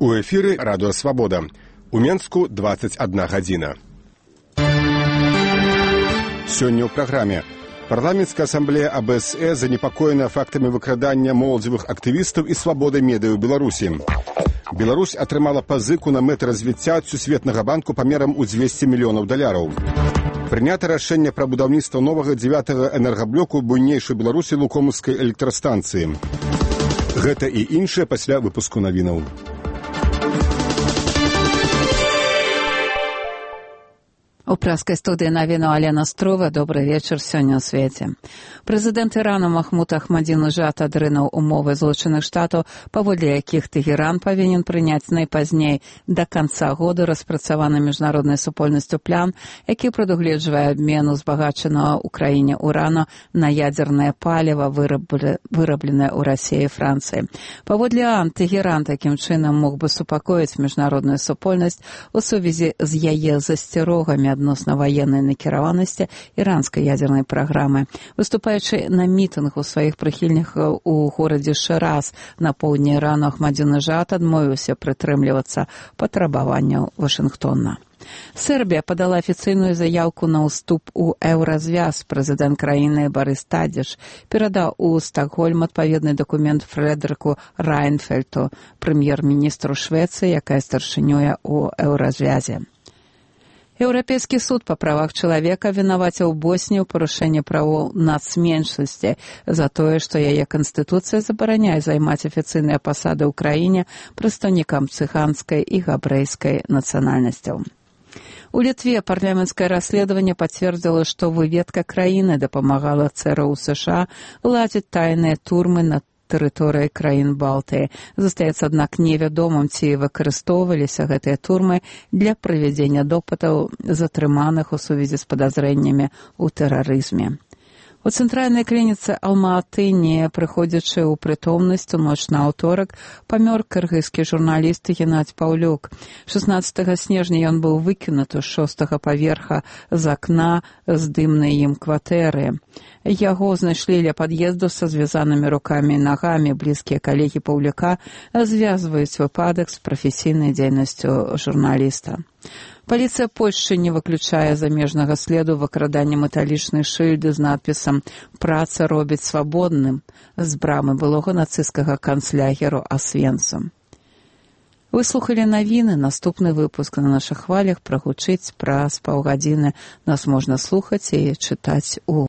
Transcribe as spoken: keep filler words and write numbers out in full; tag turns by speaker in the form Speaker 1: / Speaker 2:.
Speaker 1: У эфіры радыё «Свабода». У Менску дваццаць адна гадзіна. Сёння ў праграме. Парламенцкая асамблея А Б С Э занепакоена фактамі выкрадання моладзевых актывістаў і свабодай медыа ў Беларусі. Беларусь атрымала пазыку на мэты развіцця ад Сусветнага банку памерам у дзвесце мільёнаў даляраў. Прынята рашэнне пра будаўніцтва новага дзевятага энергаблоку буйнейшай Беларусі Лукомскай электрастанцыі. Гэта і іншае пасля выпуску навінаў.
Speaker 2: У праскай студыі навіну Алена Строва. Добры вечар сёння ў свеце. Прэзідэнт Ірану Махмуд Ахмадзінеджад адрынуў умовы Злучаных Штатаў, паводле якіх Тэгеран павінен прыняць найпазней да канца года распрацаваны міжнароднай супольнасцю план, які прадугледжвае абмен узбагачанага ў краіне урану на ядзернае паліва, вырабленае ў Расіі і Францыі. Паводле АН, Тэгеран такім чынам мог бы супакоіць міжнародную супольнасць у сувязі з яе засцярогамі адносна ваеннай накіраванасці іранскай ядзернай праграмы. Выступаючы на мітынг у сваіх прыхільнікаў у горадзе Шыраз на поўдні Ірану, Ахмадзінеджад адмовіўся прытрымлівацца патрабаванняў Вашынгтона. Сербія падала афіцыйную заяўку на ўступ у еўразвяз. Прэзідэнт краіны Барыс Тадзіч перадаў у Стакгольм адпаведны дакумент Фрэдэрыку Райнфельту, прэм'ер-міністру Швецыі, якая старшынюе ў еўразвязе. Еўрапейскі суд па правах чалавека вінаваціў Боснію ў парушэнні правоў нацменшасці за тое, што яе канстытуцыя забараняе займаць афіцыйныя пасады ў краіне прадстаўнікам цыганскай і габрэйскай нацыянальнасцяў. У Літве парламенцкае расследаванне пацвердзіла, што выведка краіны дапамагала Цэ Эр У США ладзіць тайныя турмы на тэрыторыі краін Балтыі. Застаецца, аднак, невядомым, ці выкарыстоўваліся гэтыя турмы для правядзення допытаў затрыманых у сувязі з падазрэннямі ў тэрарызме. У цэнтральнай клініцы Алма-Аты, не прыходзячы ў прытомнасць у ноч на аўторак, памёр кыргызскі журналіст Геннадзь Паўлюк. шаснаццатага снежня ён быў выкінуты з шостага паверха з акна здымнай ім кватэры. Яго знайшлі ля пад'езду са звязанымі рукамі і нагамі. Блізкія калегі Паўлюка звязваюць выпадак з прафесійнай дзейнасцю журналіста. Паліцыя Польшчы не выключае замежнага следу выкрадання металічнай шыльды з надпісам «Праца робіць свабодным» з брамы былога нацысцкага канцлягеру Асвенцум. Вы слухалі навіны. Наступны выпуск на нашых хвалях прагучыць праз паўгадзіны. Нас можна слухаць і чытаць у